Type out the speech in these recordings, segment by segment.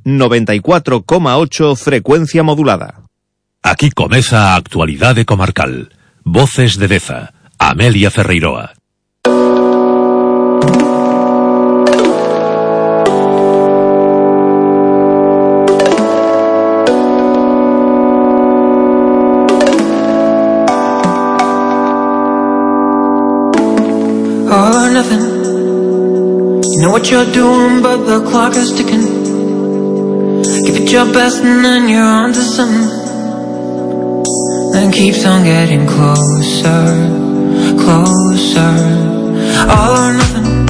94,8 frecuencia modulada. Aquí comeza a actualidade comarcal. Voces de Deza, Amelia Ferreiroa. All or nothing. You know what you're doing, but the clock is ticking. Give it your best and then you're on to something. Then keeps on getting closer, closer. All or nothing.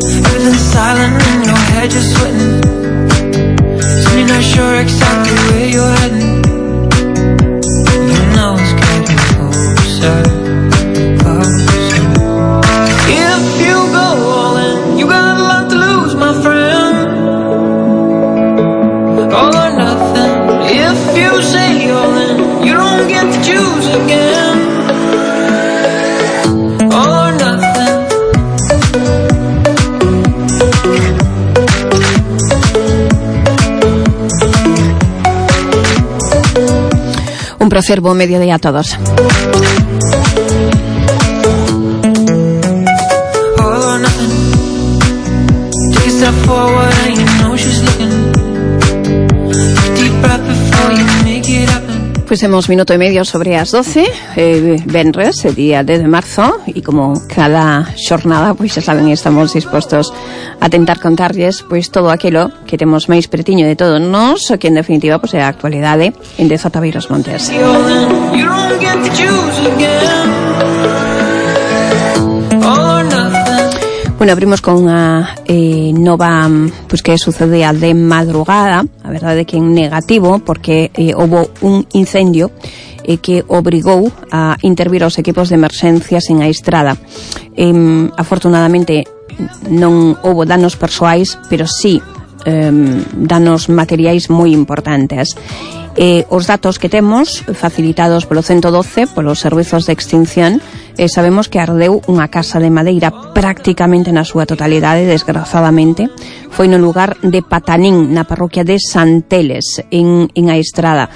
Everything's silent in your head, you're sweating. Soon you're not sure exactly where you're heading. You know it's getting closer, closer. If you go all in, you got a lot to lose, my friend. All or nothing. If you say all in, you don't get to choose again. All or nothing. Un placer, buen mediodía a todos. Pues hemos minuto y medio sobre as 12, venres, día 10 de marzo, y como cada xornada, pois xa saben, estamos dispostos a tentar contarlles pois todo aquilo que temos máis pretiño de todos nós, o que en definitiva pois é a actualidade en Deza Tabeiros Montes. Bueno, abrimos con unha nova pois que sucedea de madrugada, a verdade que en negativo, porque houve un incendio que obrigou a intervir os equipos de emerxencias en a estrada. Afortunadamente non houve danos persoais, pero sí danos materiais moi importantes. Os datos que temos facilitados polo 112, polos servizos de extinción, sabemos que ardeu unha casa de madeira prácticamente na súa totalidade, desgrazadamente. Foi no lugar de Patanín, na parroquia de Santeles, en a Estrada.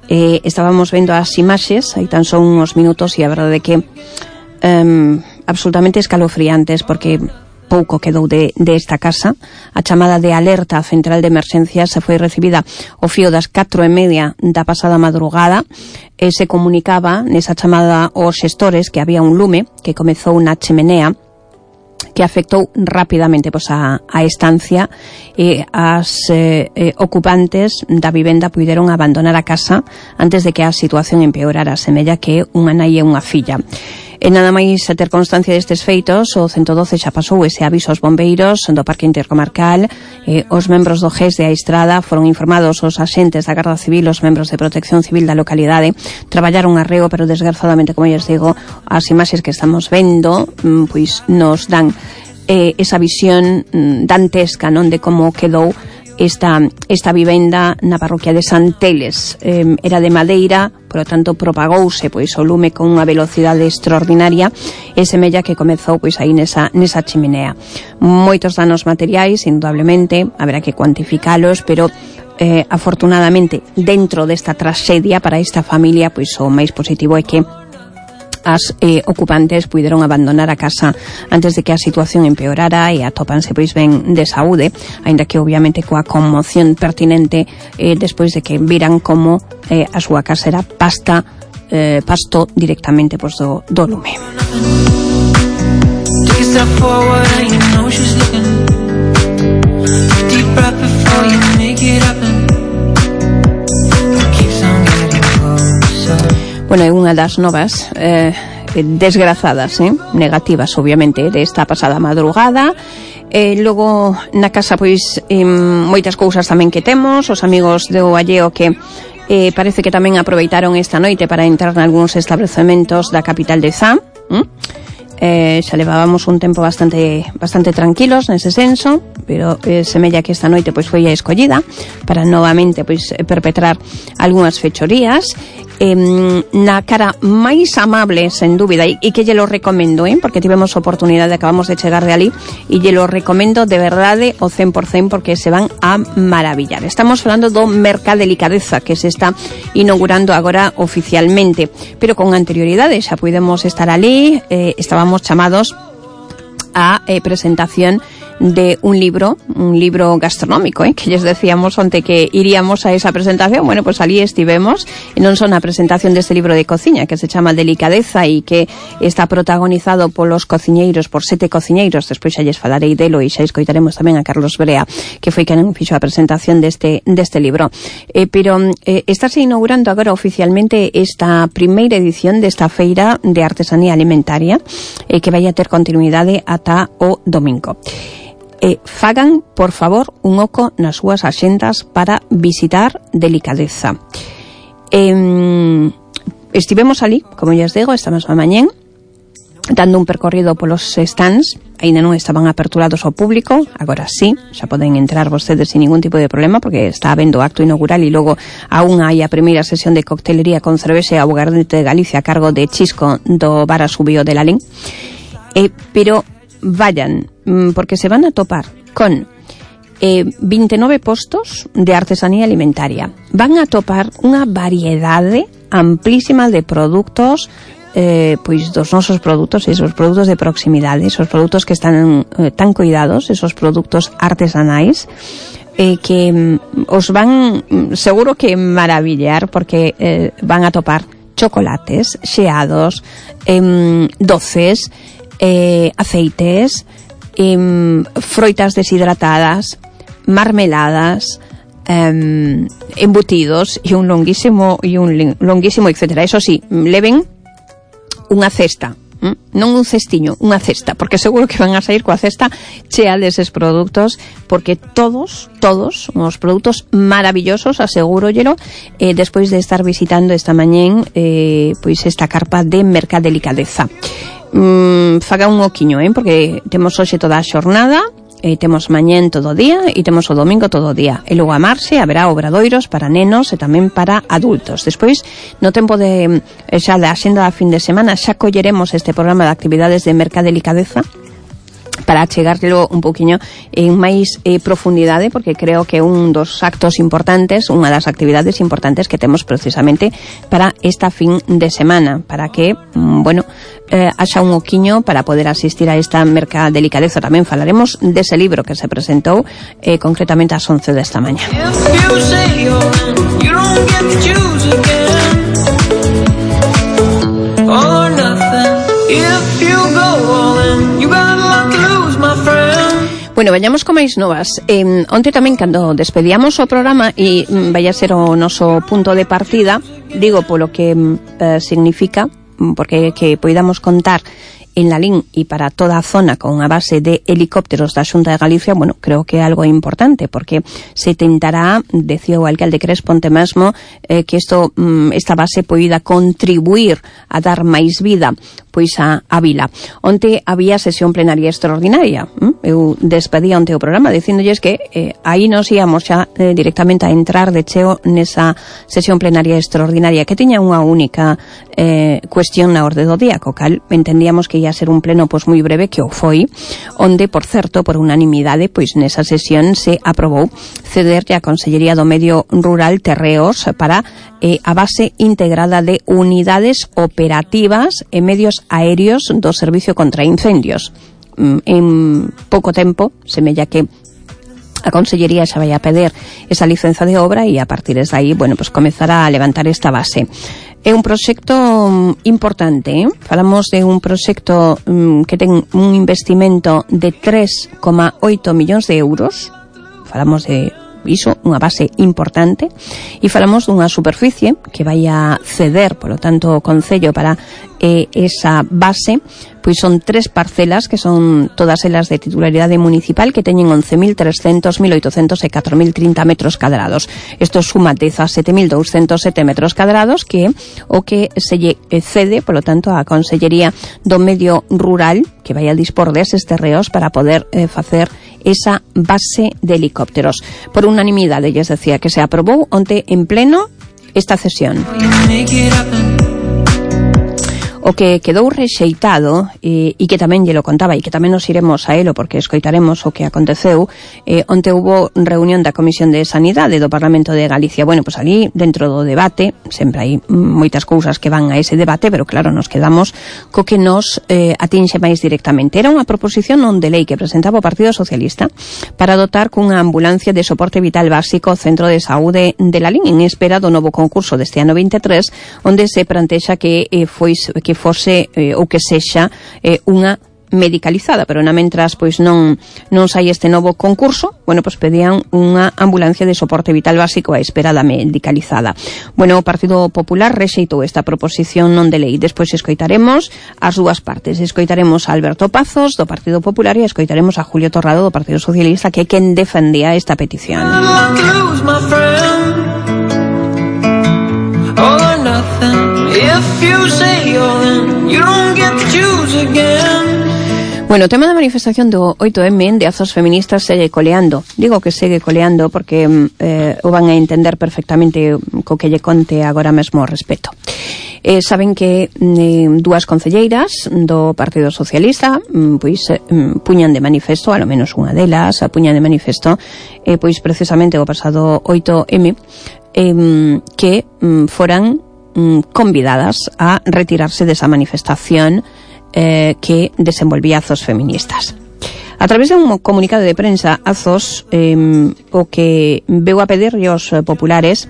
Estábamos vendo as imaxes, aí tan son uns minutos, e a verdade que absolutamente escalofriantes, porque pouco quedou de esta casa. A chamada de alerta central de emerxencias se foi recibida ao fío das 4:30 da pasada madrugada. Se comunicaba nesa chamada aos xestores que había un lume que comezou na chemenea, que afectou rapidamente pois a estancia, e as ocupantes da vivenda puideron abandonar a casa antes de que a situación empeorara, semella que unha nai e unha filla. E nada máis a ter constancia destes feitos, o 112 xa pasou ese aviso aos bombeiros do Parque Intercomarcal. Os membros do GES de a Estrada foron informados, os axentes da Garda Civil, os membros de Protección Civil da localidade traballaron arreo, pero desgrazadamente, como lles digo, as imaxes que estamos vendo pois nos dan esa visión dantesca, non, de como quedou esta vivenda na parroquia de Santeles. Era de madeira, por lo tanto propagouse pois o lume con unha velocidade extraordinaria, e semella que comezou pois aí nesa chimenea. Moitos danos materiais, indudablemente, haberá que cuantificalos, pero afortunadamente dentro desta traxedia para esta familia, pois o máis positivo é que as ocupantes puideron abandonar a casa antes de que a situación empeorara, e atópanse pois ben de saúde, aínda que obviamente coa conmoción pertinente despois de que viran como a súa casa era pasto directamente pois do lume. Bueno, é unha das novas desgrazadas, negativas, obviamente, desta pasada madrugada. Logo, na casa, pois, moitas cousas tamén que temos, os amigos do Alleo que parece que tamén aproveitaron esta noite para entrar nalgúns establecementos da capital de Zá. Xa levábamos un tempo bastante tranquilos nese senso, pero semella que esta noite pois foi a escollida para novamente pois perpetrar algunhas fechorías. na cara máis amable, sen dúbida, e que lle lo recomendo, porque tivemos oportunidade, acabamos de chegar de ali, e lle lo recomendo de verdade o 100%, porque se van a maravillar. Estamos falando do Mercadelicadeza, que se está inaugurando agora oficialmente, pero con anterioridade xa podemos estar ali, estábamos chamados a presentación de un libro gastronómico, que lles decíamos onte que iríamos a esa presentación. Bueno, pues ali estivemos, e non son a presentación deste libro de cociña que se chama Delicadeza e que está protagonizado polos cociñeiros, por 7 cociñeiros. Despois xa lles falarei delo e xa escoitaremos tamén a Carlos Brea, que foi quen fixo a presentación deste libro. Pero estáse inaugurando agora oficialmente esta primeira edición desta feira de artesanía alimentaria, que vai a ter continuidade ata o domingo. Fagan, por favor, un oco nas súas axendas para visitar Delicadeza. Estivemos ali, como lles digo, esta mesma mañén, dando un percorrido polos stands. Ainda non estaban aperturados ao público, agora sí, xa poden entrar vostedes sin ningún tipo de problema, porque está habendo acto inaugural e logo aún hai a primeira sesión de coctelería con cervexa e aguardente de Galicia a cargo de Chisco do Bar Asubío de Lalín. Pero vayan, porque se van a topar con 29 postos de artesanía alimentaria. Van a topar unha variedade amplísima de produtos, pois dos nosos produtos, esos produtos de proximidade, esos produtos que están tan cuidados, esos produtos artesanais, que os van seguro que maravillar, porque van a topar chocolates, xeados, doces, aceites, froitas deshidratadas, marmeladas, embutidos e un longuísimo etcétera. Eso sí, leven unha cesta, non un cestiño, unha cesta, porque seguro que van a sair coa cesta chea deses produtos, porque todos os produtos maravillosos, aseguróllelo, despois de estar visitando esta mañén pois esta carpa de Mercadelicadeza. Faga un oquiño, porque temos hoxe toda a xornada, temos mañén todo o día e temos o domingo todo o día, e logo a marxe haberá obradoiros para nenos e tamén para adultos. Despois, no tempo de xa da axenda da fin de semana, xa colleremos este programa de actividades de Mercadelicadeza para chegarlo un poquinho en máis profundidade, porque creo que un dos actos importantes, unha das actividades importantes que temos precisamente para esta fin de semana, para que, haxa un oquiño para poder asistir a esta Mercadelicadeza. Tamén falaremos dese libro que se presentou concretamente ás 11 desta mañá. Bueno, vayamos con máis novas. Onte tamén, cando despedíamos o programa, e vai a ser o noso punto de partida, digo polo que significa, porque que poidamos contar en Lalín e para toda a zona con unha base de helicópteros da Xunta de Galicia, creo que é algo importante, porque se tentará, decía o alcalde Crespo onte mesmo, que esta base poida contribuir a dar máis vida pois a vila. Onte había sesión plenaria extraordinaria. Eu despedía onte o programa dicíndolles que aí nos íamos xa directamente a entrar de cheo nesa sesión plenaria extraordinaria, que tiña unha única cuestión na orde do día, co cal entendíamos que ia ser un pleno pois moi breve, que o foi, onde, por certo, por unanimidade, pois nesa sesión se aprobou cederlle á Consellería do Medio Rural terreos para a base integrada de unidades operativas e medios aéreos do Servicio contra Incendios. En pouco tempo, semella que a Consellería xa vai a pedir esa licenza de obra e a partir de aí, pues comezará a levantar esta base. É un proxecto importante, Falamos de un proxecto que ten un investimento de 3,8 millóns de euros. Falamos de iso, unha base importante, e falamos dunha superficie que vai a ceder, polo tanto, o Concello para esa base. Pois son 3 parcelas, que son todas elas de titularidade municipal, que teñen 11.300, 1.800 e 4.030 metros cadrados. Isto suma 17.207 metros cadrados, que o que se lle cede, polo tanto, a Consellería do Medio Rural, que vai a dispor deses terreos para poder facer esa base de helicópteros. Por unanimidade, lles decía, que se aprobou onte en pleno esta cesión. O que quedou rexeitado e que tamén lle lo contaba e que tamén nos iremos a elo porque escoitaremos o que aconteceu onte hubo reunión da Comisión de Sanidade do Parlamento de Galicia. Bueno, pois ali dentro do debate sempre hai moitas cousas que van a ese debate, pero claro, nos quedamos co que nos atinxe máis directamente. Era unha proposición non de lei que presentaba o Partido Socialista para dotar cunha ambulancia de soporte vital básico o Centro de Saúde de Lalín en espera do novo concurso deste ano 23, onde se plantexa que fose ou que sexa unha medicalizada, pero na mentras pois non sai este novo concurso, bueno, pois pedían unha ambulancia de soporte vital básico á espera da medicalizada. Bueno, o Partido Popular rexeitou esta proposición non de lei. Despois escoitaremos as dúas partes. Escoitaremos a Alberto Pazos do Partido Popular e escoitaremos a Julio Torrado do Partido Socialista, que é quen defendía esta petición. Bueno, o tema da manifestación do 8M de Azos Feministas segue coleando. Digo que segue coleando porque o van a entender perfectamente co que lle conte agora mesmo ao respecto. Saben que dúas concelleiras do Partido Socialista pois puñan de manifesto, alo menos unha delas puñan de manifesto pois precisamente o pasado 8M que foran convidadas a retirarse desa manifestación que desenvolvía Azos Feministas. A través de un comunicado de prensa, Azos o que veu a pedir aos populares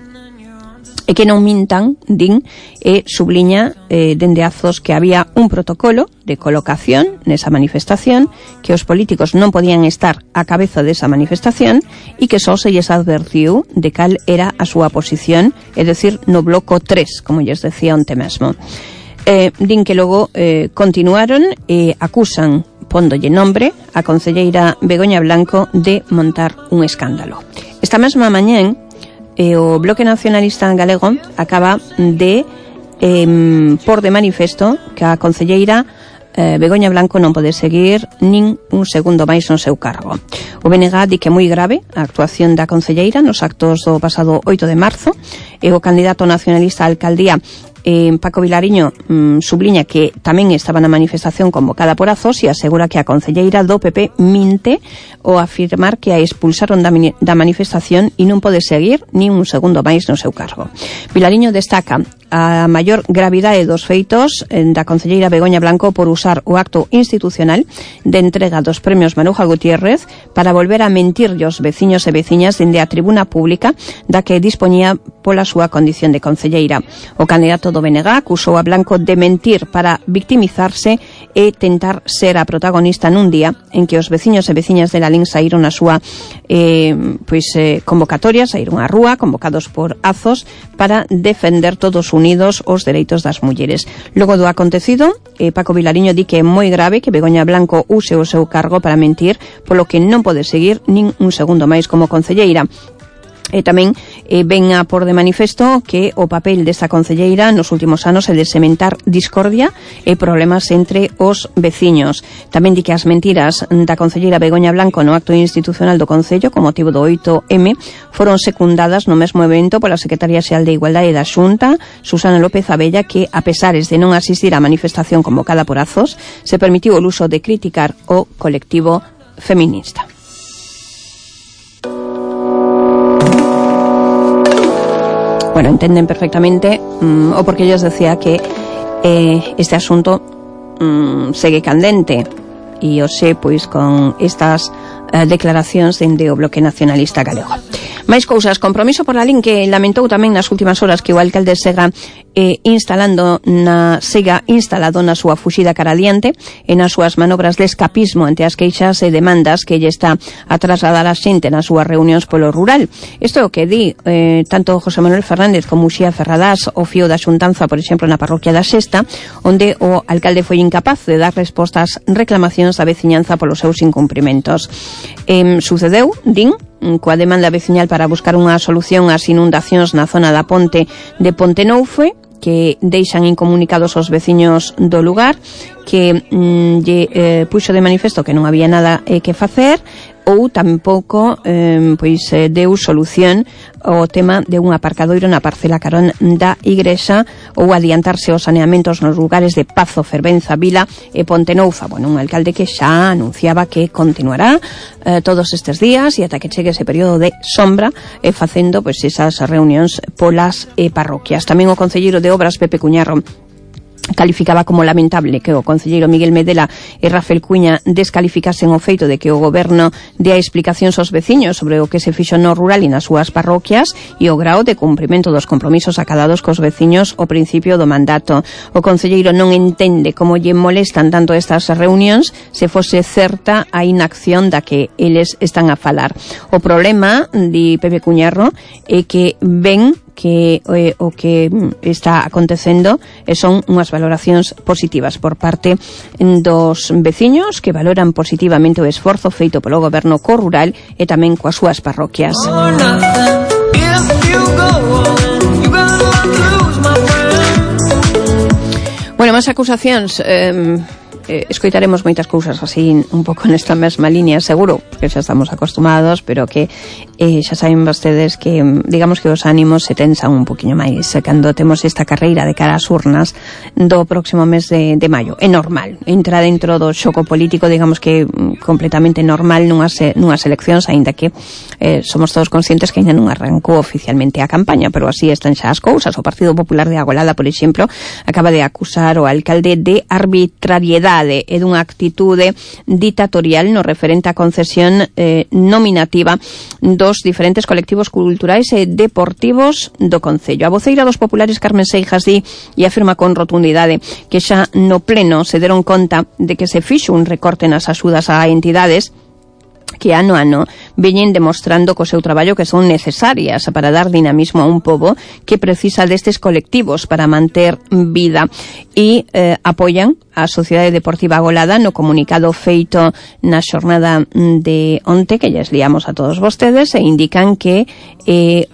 e que non mintan, din, e subliña dende Azos que había un protocolo de colocación nesa manifestación, que os políticos non podían estar á cabeza desa manifestación e que só se lles advertiu de cal era a súa posición, é dicir, no bloco 3, como lles decía onte mesmo. Din que logo continuaron e acusan, póndolle nombre, a concelleira Begoña Blanco de montar un escándalo. Esta mesma mañén, o Bloque Nacionalista Galego acaba de por de manifesto que a concelleira Begoña Blanco non pode seguir nin un segundo máis no seu cargo. O BNG di que é moi grave a actuación da concelleira nos actos do pasado 8 de marzo e o candidato nacionalista á alcaldía Paco Vilariño subliña que tamén estaba na manifestación convocada por Azos e asegura que a concelleira do PP minte ao afirmar que a expulsaron da manifestación e non pode seguir nin un segundo máis no seu cargo. Vilariño destaca a maior gravidade dos feitos da concelleira Begoña Blanco por usar o acto institucional de entrega dos premios Maruja Gutiérrez para volver a mentir aos veciños e veciñas dende a tribuna pública da que dispoñía pola súa condición de concelleira. O candidato do BNG acusou a Blanco de mentir para victimizarse e tentar ser a protagonista nun día en que os veciños e veciñas de Lalín saíron a súa convocatoria, saíron á rúa convocados por Azos para defender todos unidos os dereitos das mulleres. Logo do acontecido, Paco Vilariño di que é moi grave que Begoña Blanco use o seu cargo para mentir, polo que non pode seguir nin un segundo máis como concelleira. E tamén ven a por de manifesto que o papel desta concelleira nos últimos anos é de sementar discordia e problemas entre os veciños. Tamén di que as mentiras da concelleira Begoña Blanco no acto institucional do Concello con motivo do 8M foron secundadas no mesmo evento pola Secretaria Xeral de Igualdade da Xunta, Susana López Abella, que a pesares de non asistir á manifestación convocada por Azos, se permitiu o luso de criticar o colectivo feminista. Bueno, entenden perfectamente o porque ellos decía que este asunto segue candente e o sé, pois, con estas declaracións dende o Bloque Nacionalista Galego. Máis cousas, compromiso por Lalín que lamentou tamén nas últimas horas que o alcalde sega instalado na súa fuxida cara adiante e nas súas manobras de escapismo ante as queixas e demandas que lle está a trasladar a xente nas súas reunións polo rural. Isto é o que di tanto José Manuel Fernández como Uxía Ferradás o fío da xuntanza, por exemplo, na parroquia da Sexta, onde o alcalde foi incapaz de dar respostas reclamacións da veciñanza polos seus incumprimentos. Sucedeu, din, coa demanda veciñal para buscar unha solución ás inundacións na zona da ponte de Pontenoufe, que deixan incomunicados os veciños do lugar, que lle puxo de manifesto que non había nada que facer, ou tampouco deu solución o tema de un aparcadoiro na parcela carón da igrexa ou adiantarse os saneamentos nos lugares de Pazo, Fervenza, Vila e Pontenoufa. Bueno, un alcalde que xa anunciaba que continuará todos estes días e ata que chegue ese período de sombra facendo pois esas reunións polas parroquias. Tamén o concelleiro de Obras, Pepe Cuñarro, calificaba como lamentable que o concelleiro Miguel Medela e Rafael Cuña descalificasen o feito de que o goberno dea explicacións aos veciños sobre o que se fixo no rural e nas súas parroquias e o grao de cumprimento dos compromisos acadados cos veciños ao principio do mandato. O concelleiro non entende como lle molestan tanto estas reunións se fose certa a inacción da que eles están a falar. O problema, di Pepe Cuñarro, é que ven que o que está acontecendo son unhas valoracións positivas por parte dos veciños que valoran positivamente o esforzo feito polo goberno co rural e tamén coas súas parroquias. Bueno, máis acusacións. Escoitaremos moitas cousas así un pouco nesta mesma línea, seguro, porque xa estamos acostumados, pero que xa saben vostedes que digamos que os ánimos se tensan un poquinho máis cando temos esta carreira de cara ás urnas do próximo mes de maio. É normal, entra dentro do xogo político, digamos que completamente normal nunhas eleccións, aínda que somos todos conscientes que ainda non arrancou oficialmente a campaña, pero así están xa as cousas. O Partido Popular de Agolada, por exemplo, acaba de acusar o alcalde de arbitrariedade e dunha actitude ditatorial no referente á concesión nominativa dos diferentes colectivos culturais e deportivos do Concello. A voceira dos populares, Carmen Seijas, di e afirma con rotundidade que xa no pleno se deron conta de que se fixo un recorte nas axudas a entidades que ano a ano veñen demostrando co seu traballo que son necesarias para dar dinamismo a un pobo que precisa destes colectivos para manter vida e apoian a Sociedade Deportiva Agolada no comunicado feito na xornada de onte que lles liamos a todos vostedes e indican que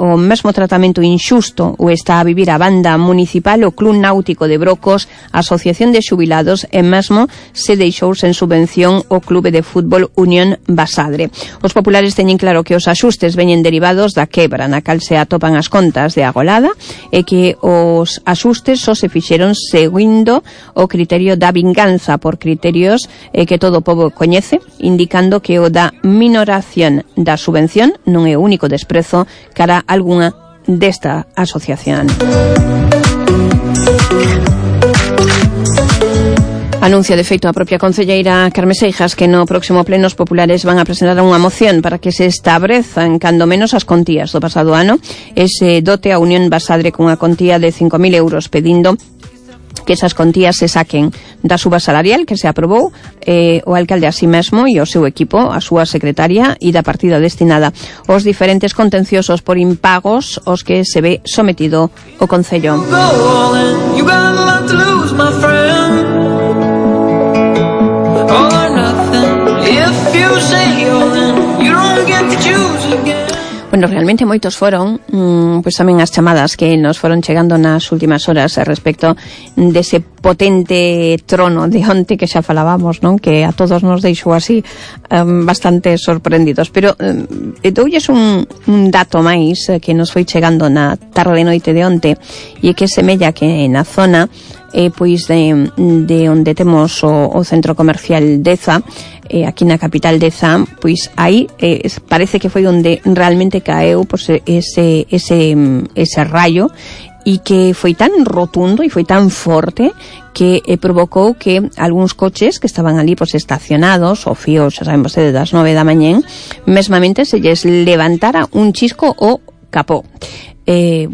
o mesmo tratamento inxusto o está a vivir a banda municipal, o Club Náutico de Brocos, a Asociación de Xubilados e mesmo se deixou sen subvención o Clube de Fútbol Unión Basadre. Os populares teñen claro que os axustes veñen derivados da quebra na cal se atopan as contas de Agolada e que os axustes só se fixeron seguindo o criterio da vinganza por criterios que todo o pobo coñece, indicando que o da minoración da subvención non é o único desprezo cara a algunha desta asociación. Anuncia de feito a propia concelleira Carmen Seijas que no próximo pleno os populares van a presentar unha moción para que se establezan cando menos as contías do pasado ano ese dote a Unión Basadre cunha contía de 5.000 euros, pedindo que esas contías se saquen da suba salarial que se aprobou o alcalde a sí mesmo e o seu equipo, a súa secretaria e da partida destinada aos diferentes contenciosos por impagos aos que se ve sometido o Concello. Bueno, realmente moitos foron pois tamén as chamadas que nos foron chegando nas últimas horas respecto dese potente trono de onte que xa falábamos, non? Que a todos nos deixou así bastante sorprendidos, pero doulles un dato máis que nos foi chegando na tarde e noite de onte e que semella que na zona pois de onde temos o centro comercial Deza, aquí na capital Deza, pois aí parece que foi onde realmente caeu pois ese raio e que foi tan rotundo e foi tan forte que provocou que algúns coches que estaban ali pois estacionados ao fío, xa saben vostedes, das 9 da mañén, mesmamente se lles levantara un chisco o capó.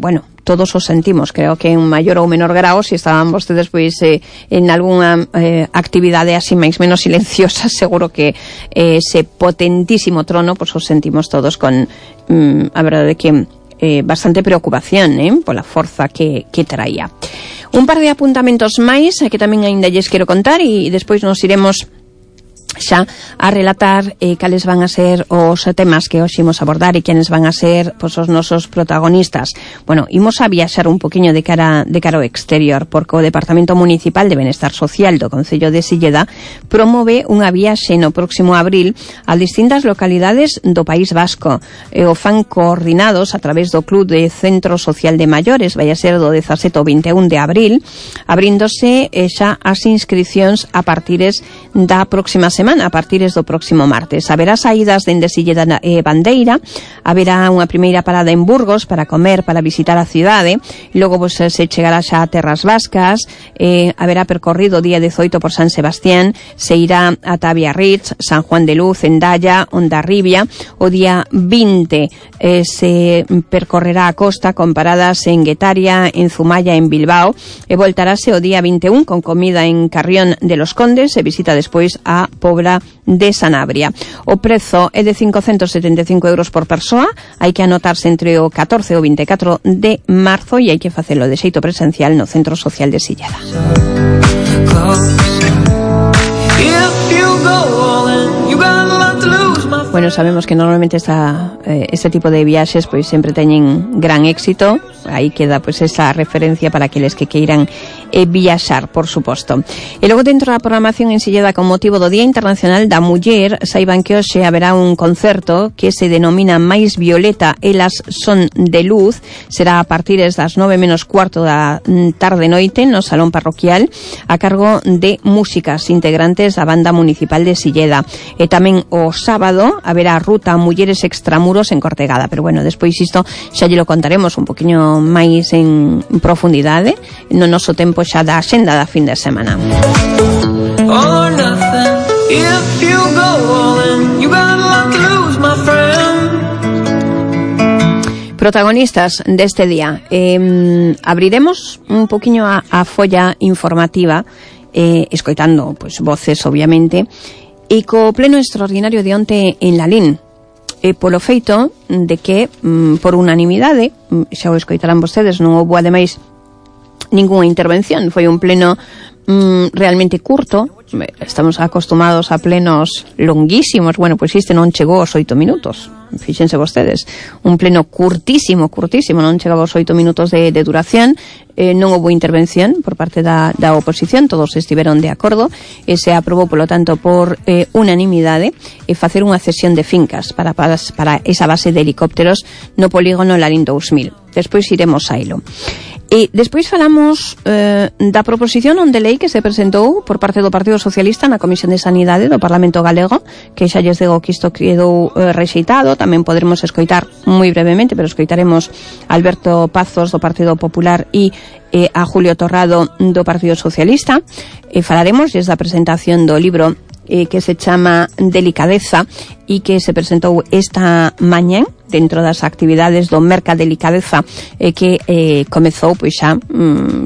Bueno, todos os sentimos, creo que en maior ou menor grao, se estaban vostedes pois en algunha actividade así máis menos silenciosa, seguro que ese potentísimo trono pois os sentimos todos con a verdade que bastante preocupación pola forza que traía. Un par de apuntamentos máis que tamén aínda lles quero contar e despois nos iremos xa a relatar cales van a ser os temas que hoxe imos abordar e quenes van a ser pois, os nosos protagonistas. Bueno, imos a viaxar un poquinho de cara ao exterior, porque o Departamento Municipal de Benestar Social do Concello de Silleda promove unha viaxe no próximo abril a distintas localidades do País Vasco. O fan coordinados a través do Club de Centro Social de Maiores, vai a ser do 17 ao 21 de abril, abríndose xa as inscripcións a partires da próxima semana, a partires do próximo martes. Haberá saídas dende Silleda e Bandeira, haberá unha primeira parada en Burgos para comer, para visitar a cidade, logo pues, se chegará xa a Terras Vascas, haberá percorrido o día 18 por San Sebastián, se irá a Biarritz, San Juan de Luz, Endaya, Hondarribia, o día 20 se percorrerá a costa con paradas en Guetaria, en Zumaya, en Bilbao, e voltarase o día 21 con comida en Carrión de los Condes e visita despois a Pobra de Sanabria. O prezo é de 575 euros por persoa, hai que anotarse entre o 14 e o 24 de marzo e hai que facelo de xeito presencial no Centro Social de Silleda. Bueno, sabemos que normalmente este tipo de viaxes pois sempre teñen gran éxito. Aí queda pois esa referencia para aqueles que queiran viaxar, por suposto. E logo dentro da programación en Silleda con motivo do Día Internacional da Muller, saiban que hoxe haberá un concerto que se denomina Mais Violeta, elas son de luz. Será a partires das 9:15 da tarde-noite no Salón Parroquial a cargo de músicas integrantes da Banda Municipal de Silleda. E tamén o sábado haberá ruta Mulleres Extramuros en Cortegada, pero bueno, despois isto xa lle lo contaremos un poquinho máis en profundidade no noso tempo xa da axenda da fin de semana. Protagonistas deste día. Abriremos un poquinho a folla informativa, escoitando pois voces, obviamente, e co pleno extraordinario de onte en Lalín, polo feito de que, por unanimidade, xa o escoitarán vostedes, non houbo ademais ninguna intervención, foi un pleno realmente curto. Estamos acostumados a plenos longuísimos. Bueno, pois este non chegou aos 8 minutos. Fíxense vostedes, un pleno curtísimo, non chegaba aos 8 minutos de duración. Non houve intervención por parte da oposición, todos estiveron de acordo e se aprobou, polo tanto, por unanimidade facer unha cesión de fincas para esa base de helicópteros no polígono Lalín 2000. Despois iremos a ilo. E despois falamos da proposición non de lei que se presentou por parte do Partido Socialista na Comisión de Sanidade do Parlamento Galego, que xa lles digo que isto quedou rexeitado. Tamén poderemos escoitar moi brevemente, pero escoitaremos a Alberto Pazos do Partido Popular e a Julio Torrado do Partido Socialista. Falaremos desde a presentación do libro que se chama Delicadeza e que se presentou esta mañá dentro das actividades do Merca Delicadeza, que comezou, pois xa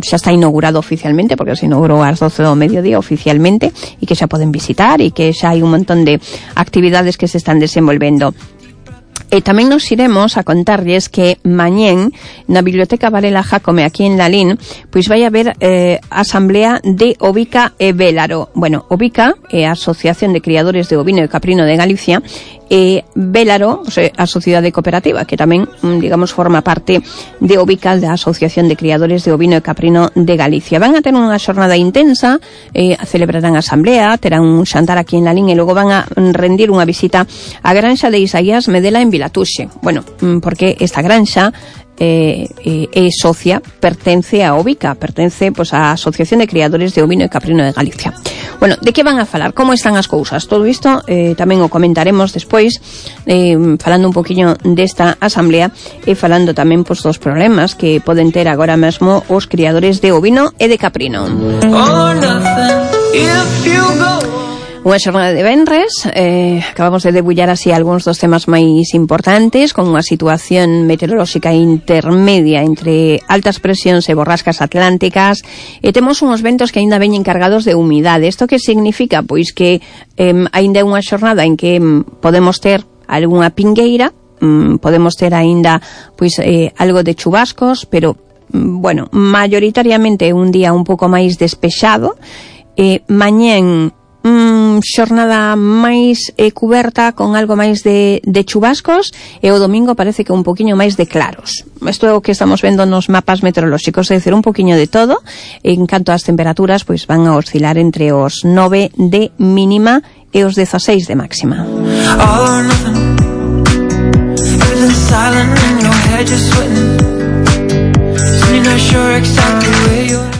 está inaugurado oficialmente, porque se inaugurou ás 12 do mediodía oficialmente, e que xa poden visitar e que xa hai un montón de actividades que se están desenvolvendo. E tamén nos iremos a contarlles que mañén na Biblioteca Varela Jácome aquí en Lalín pois vai haber asamblea de Ovica e Vélaro. Bueno, Ovica é a Asociación de Criadores de Ovino e Caprino de Galicia, e Vélaro, a Sociedade Cooperativa, que tamén, digamos, forma parte de Ovica, da Asociación de Criadores de Ovino e Caprino de Galicia. Van a ter unha xornada intensa, celebrarán a asamblea, terán un xantar aquí en Lalín e logo van a rendir unha visita á granxa de Isaías Medela en Vilatuxe. Bueno, porque esta granxa é socia, pertence a Ovica, pertence pois á Asociación de Criadores de Ovino e Caprino de Galicia. Bueno, de que van a falar? Como están as cousas? Todo isto tamén o comentaremos despois, falando un poquinho desta asamblea e falando tamén pois dos problemas que poden ter agora mesmo os criadores de ovino e de caprino. Unha xornada de venres, acabamos de debullar así algúns dos temas máis importantes, con unha situación meteorolóxica intermedia entre altas presións e borrascas atlánticas, e temos uns ventos que aínda veñen cargados de humidade. Isto que significa? Pois que aínda é unha xornada en que podemos ter algunha pingueira, podemos ter aínda pois algo de chubascos, pero bueno, maioritariamente un día un pouco máis despexado. Mañén xornada máis cuberta con algo máis de chubascos, e o domingo parece que un poquinho máis de claros. Isto é o que estamos vendo nos mapas meteorolóxicos, é dicir, un poquinho de todo. En canto ás temperaturas, pois van a oscilar entre os 9 de mínima e os 16 de máxima.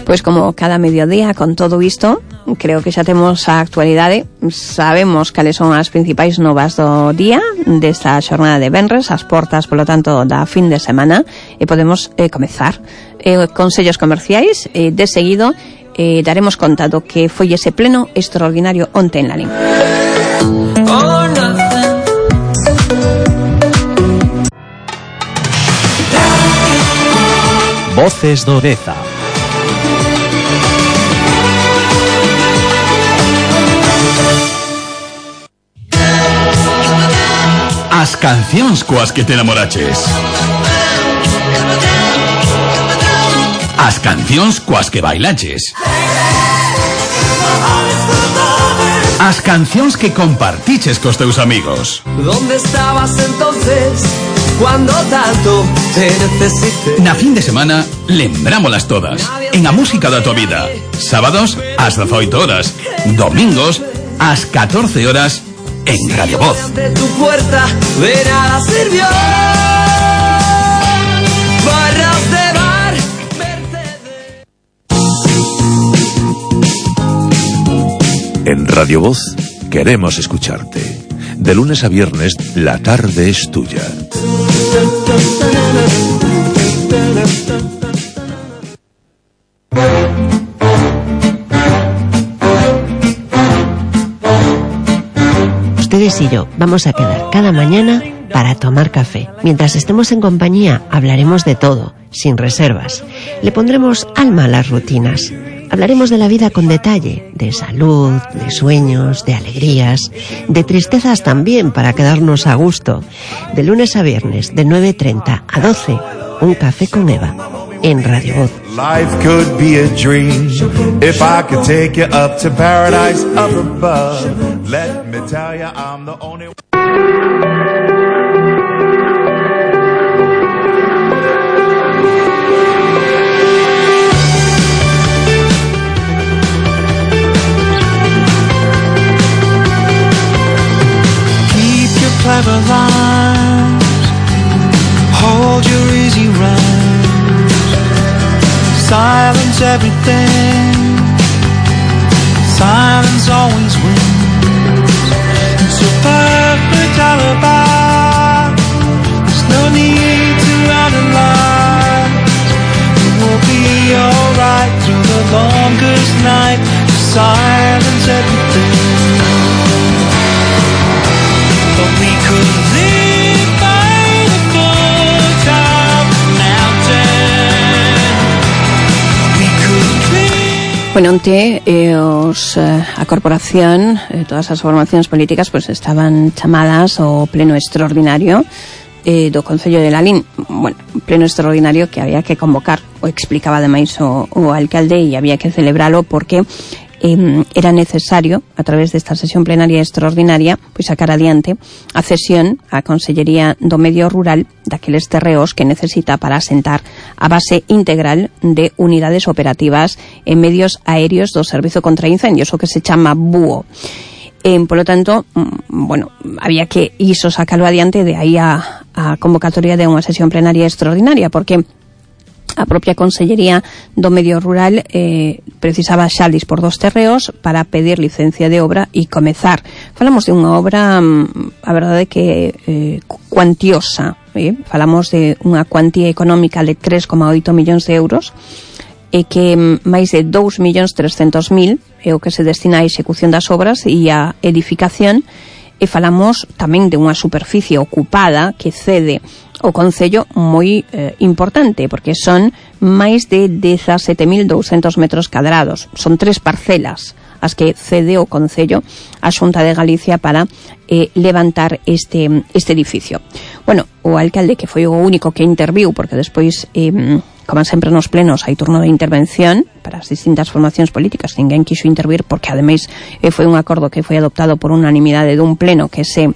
Pois como cada mediodía con todo isto, creo que xa temos a actualidade, sabemos cales son as principais novas do día desta xornada de venres, as portas, polo tanto, da fin de semana, e podemos comezar consellos comerciais. De seguido daremos conta do que foi ese pleno extraordinario onte en Lalín. Voces do Deza. As cancións coas que te namoraches. As cancións coas que bailaches. As cancións que compartiches cos teus amigos. ¿Dónde estabas entonces cuando tanto te necesité? Na fin de semana, lembrámolas todas. En a música da tua vida. Sábados, ás 18 horas. Domingos, ás 14 horas, en Radio Voz. De tu puerta de nada sirvió. Barras de bar, Mercedes. En Radio Voz queremos escucharte. De lunes a viernes, la tarde es tuya. Ustedes y yo vamos a quedar cada mañana para tomar café. Mientras estemos en compañía, hablaremos de todo, sin reservas. Le pondremos alma a las rutinas. Hablaremos de la vida con detalle, de salud, de sueños, de alegrías, de tristezas también para quedarnos a gusto. De lunes a viernes, de 9:30 a 12, un café con Eva, en Radio Voz. Life could be a dream if I could take you up to paradise up above. Let me tell you I'm the only one. Clever lines, hold your easy rhymes, silence everything, silence always wins. It's a perfect alibi, there's no need to analyze. It will be alright through the longest night, silence everything. But we could live by the foot of the mountain. We could live. Bueno, onte a corporación, todas as formacións políticas, pues estaban chamadas ao pleno extraordinario do Concello de Lalín. Bueno, pleno extraordinario que había que convocar, o explicaba ademais o alcalde, e había que celebralo porque era necesario, a través desta sesión plenaria extraordinaria, pois sacar adiante a cesión á Consellería do Medio Rural daqueles terreos que necesita para asentar a base integral de unidades operativas en medios aéreos do Servizo contra Incendios, o que se chama BUO. Polo tanto, bueno, había que iso sacalo adiante, de aí a convocatoria de unha sesión plenaria extraordinaria, porque a propia Consellería do Medio Rural precisaba xa dispor dos terreos para pedir licencia de obra e comezar. Falamos de unha obra, a verdade que cuantiosa, falamos de unha cuantía económica de 3,8 millóns de euros, e que máis de 2.300.000 é o que se destina á execución das obras e á edificación, e falamos tamén de unha superficie ocupada que cede o Concello moi importante, porque son máis de 17.200 metros cadrados. Son 3 parcelas as que cede o Concello a Xunta de Galicia para levantar este edificio. Bueno, o alcalde, que foi o único que interviu, porque despois como sempre nos plenos hai turno de intervención para as distintas formacións políticas, ninguén quixo intervir porque ademais foi un acordo que foi adoptado por unanimidade dun pleno que se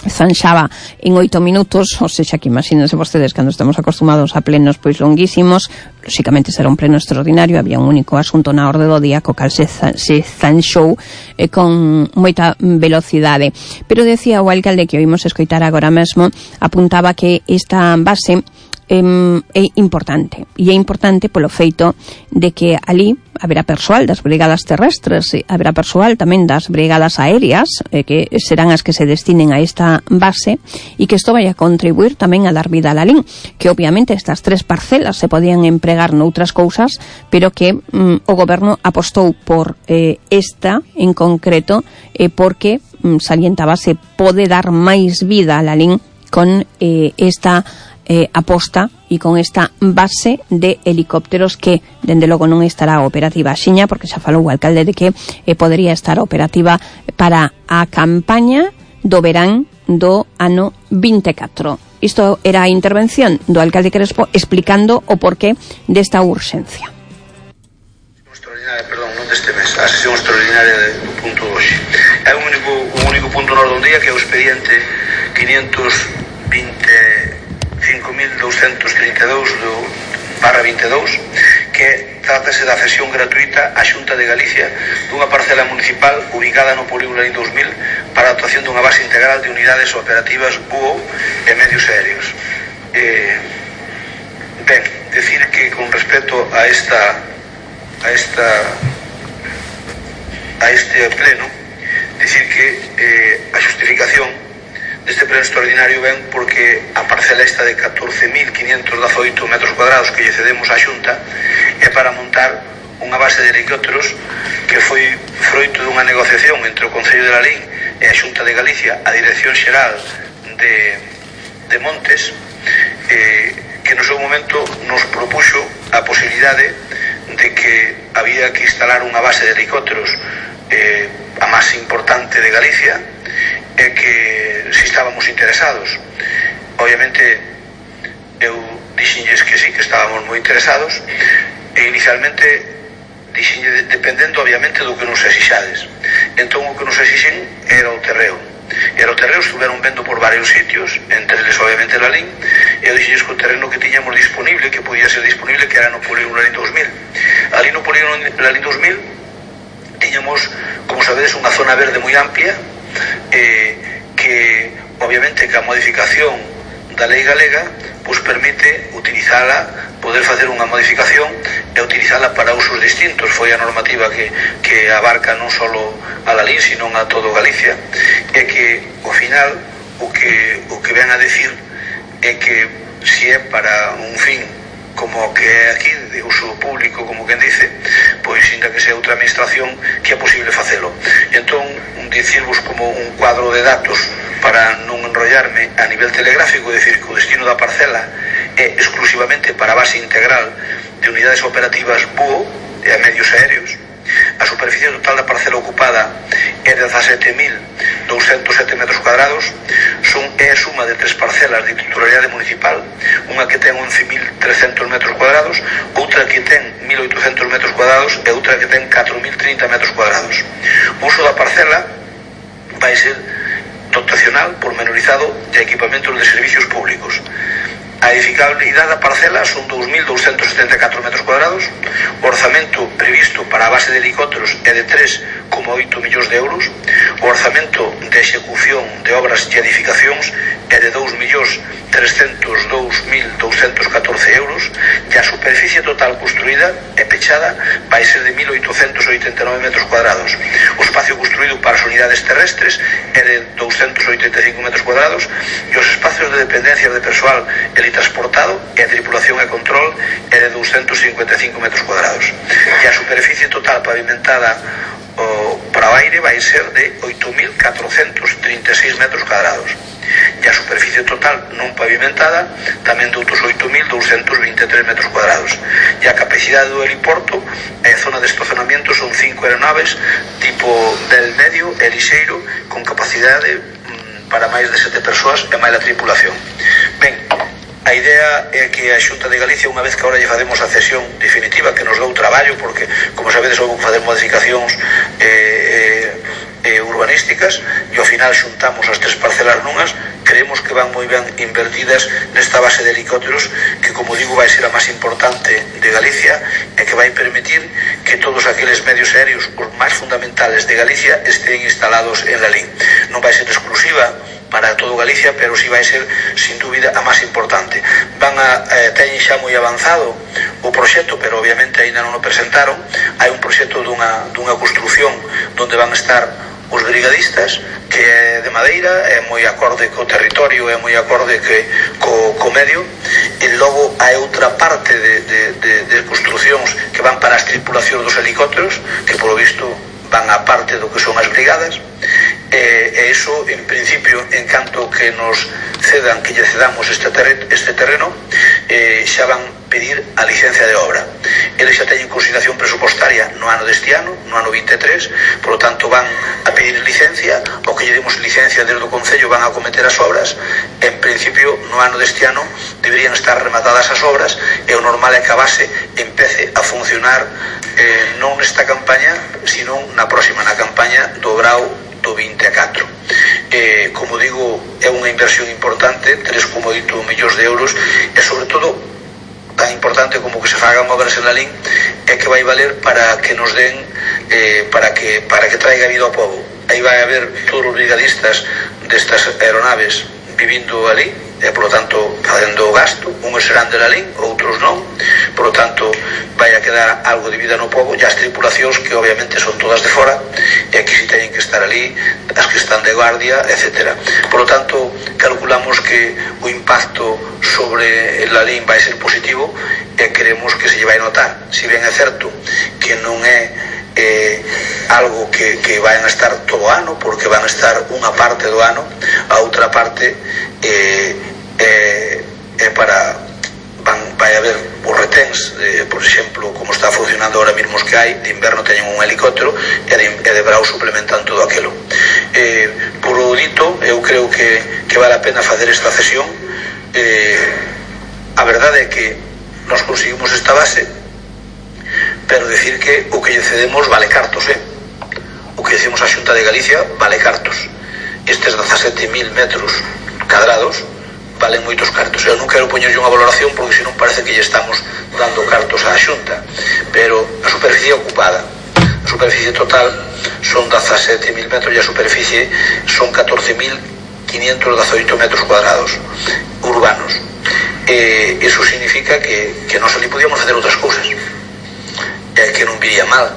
zanxaba en 8 minutos, ou seja, que imagínense vostedes cando estamos acostumados a plenos pois longuísimos, lóxicamente será un pleno extraordinario, había un único asunto na orde do día co cal se zanxou con moita velocidade. Pero decía o alcalde que oímos escoitar agora mesmo, apuntaba que esta base é importante, e é importante polo feito de que ali haberá persoal das brigadas terrestres, haberá persoal tamén das brigadas aéreas, que serán as que se destinen a esta base, e que isto vai a contribuir tamén a dar vida a Lalín, que obviamente estas 3 parcelas se podían empregar noutras cousas, pero que o goberno apostou por esta en concreto, porque salientaba se pode dar máis vida a Lalín con esta aposta e con esta base de helicópteros que, dende logo, non estará operativa axiña, porque xa falou o alcalde de que podería estar operativa para a campaña do verán do ano 24. Isto era a intervención do alcalde Crespo explicando o porqué desta urxencia. Perdón, non deste mes, a sesión extraordinaria do punto de hoxe. É un único punto no orden do día, que é o expediente 525.232/22, que trátase da cesión gratuita á Xunta de Galicia dunha parcela municipal ubicada no Polígono Lalín 2000 para a actuación dunha base integral de unidades operativas BUO e medios aéreos. Ben, decir que con respecto a este pleno, decir que a xustificación deste pleno extraordinario ven porque a parcela esta de 14.518 metros cuadrados que lle cedemos á Xunta é para montar unha base de helicópteros que foi froito dunha negociación entre o Concello de Lalín e a Xunta de Galicia, a Dirección Xeral de Montes, que no seu momento nos propuxo a posibilidade de que había que instalar unha base de helicópteros a máis importante de Galicia, e que si estábamos interesados. Obviamente eu dixenlles que sí, que estábamos moi interesados, e inicialmente dixenlle dependendo obviamente do que nos exixades. Entón o que nos exixen era o terreo. E o terreo estuveron vendo por varios sitios, entre eles obviamente Lalín, e eu dixenlles que o terreno que tiñamos disponible, que podía ser disponible, que era no Polígono Lalín 2000. Ali no Polígono Lalín 2000 tiñamos, como sabedes, unha zona verde moi amplia, que obviamente que a modificación da lei galega pues permite utilizala, poder facer unha modificación e utilizala para usos distintos. Foi a normativa que abarca non só a Lalín, sino a todo Galicia, e que ao final o que ven a decir é que se é para un fin como que é aquí, de uso público, como quen dice, pois ainda que sea outra administración, que é posible facelo. Entón, dicirvos como un cuadro de datos para non enrollarme a nivel telegráfico, é dicir, que o destino da parcela é exclusivamente para a base integral de unidades operativas BUO e a medios aéreos. A superficie total da parcela ocupada é de 17.207 metros cuadrados. É a suma de 3 parcelas de titularidade municipal, unha que ten 11.300 metros cuadrados, outra que ten 1.800 metros cuadrados e outra que ten 4.030 metros cuadrados. O uso da parcela vai ser dotacional, pormenorizado de equipamentos de servicios públicos. A edificabilidade da parcela son 2.274 metros cuadrados. O orzamento previsto para a base de helicópteros é de 3,8 millóns de euros. O orzamento de execución de obras e edificacións é de 2.302.214 euros, e a superficie total construída e pechada vai ser de 1.889 metros cuadrados. O espacio construído para as unidades terrestres é de 285 metros cuadrados, e os espacios de dependencias de persoal transportado e a tripulación e control é de 255 metros cuadrados. E a superficie total pavimentada para o aire vai ser de 8.436 metros cuadrados. E a superficie total non pavimentada tamén de outros 8.223 metros cuadrados. E a capacidade do heliporto e a zona de estacionamiento son 5 aeronaves tipo del medio e lixeiro con capacidade para máis de 7 persoas e máis a tripulación. Ben, a A idea é que a Xunta de Galicia, unha vez que agora lle facemos a cesión definitiva, que nos dou traballo, porque, como sabedes, houve que facer modificacións urbanísticas, e ao final xuntamos as 3 parcelas nunhas, creemos que van moi ben invertidas nesta base de helicópteros, que, como digo, vai ser a máis importante de Galicia, e que vai permitir que todos aqueles medios aéreos, os máis fundamentales de Galicia, estén instalados en Lalín. Non vai ser exclusiva para todo Galicia, pero si vai ser, sin dúbida, a máis importante. Teñen xa moi avanzado o proxecto, pero obviamente ainda non o presentaron. Hai un proxecto dunha construción onde van estar os brigadistas, que é de madeira, é moi acorde co territorio, é moi acorde co medio, e logo hai outra parte de construcións que van para as tripulacións dos helicópteros, que polo visto van a parte do que son as brigadas, e iso, en principio, en canto que nos cedan, que lle cedamos este terreno, xa van pedir a licencia de obra. Eles xa teñen consignación presupostaria no ano deste ano, no ano 23, por lo tanto van a pedir licencia, o que lle demos licencia desde o Concello van a cometer as obras. En principio, no ano deste ano deberían estar rematadas as obras, e o normal é que a base empece a funcionar non nesta campaña, sino na próxima, na campaña do grau do 24. Como digo, é unha inversión importante, 3,8 millóns de euros, e sobre todo tan importante como que se fagan obras en Lalín, é que vai valer para que nos den para que traiga vida ao povo. Aí vai haber todos os brigadistas destas aeronaves vivindo ali, e por lo tanto facendo o gasto. Uns serán de Lalín, outros non, por lo tanto vai a quedar algo de vida no povo, e as tripulacións, que obviamente son todas de fora, e aquí si teñen que estar ali, as que están de guardia, etc. Por lo tanto, calculamos que o impacto sobre Lalín vai ser positivo, e queremos que se lle vai notar. Si ben é certo que non é algo que van a estar todo o ano, porque van a estar unha parte do ano, a outra parte vai haber os reténs, por exemplo, como está funcionando ahora mismo os que hai, de inverno teñen un helicóptero, e de verao suplementan todo aquilo. Por o dito, eu creo que vale a pena facer esta cesión. A verdade é que nos conseguimos esta base, pero decir que o que lle cedemos vale cartos, o que decimos a Xunta de Galicia vale cartos. Estes 17.000 metros cadrados valen moitos cartos. Eu non quero poñerlle unha valoración, porque senón parece que lle estamos dando cartos á Xunta, pero a superficie ocupada, a superficie total son 17.000 metros, e a superficie son 14.518 metros cuadrados urbanos. Iso significa que nós ali podíamos facer outras cousas, que non viría mal,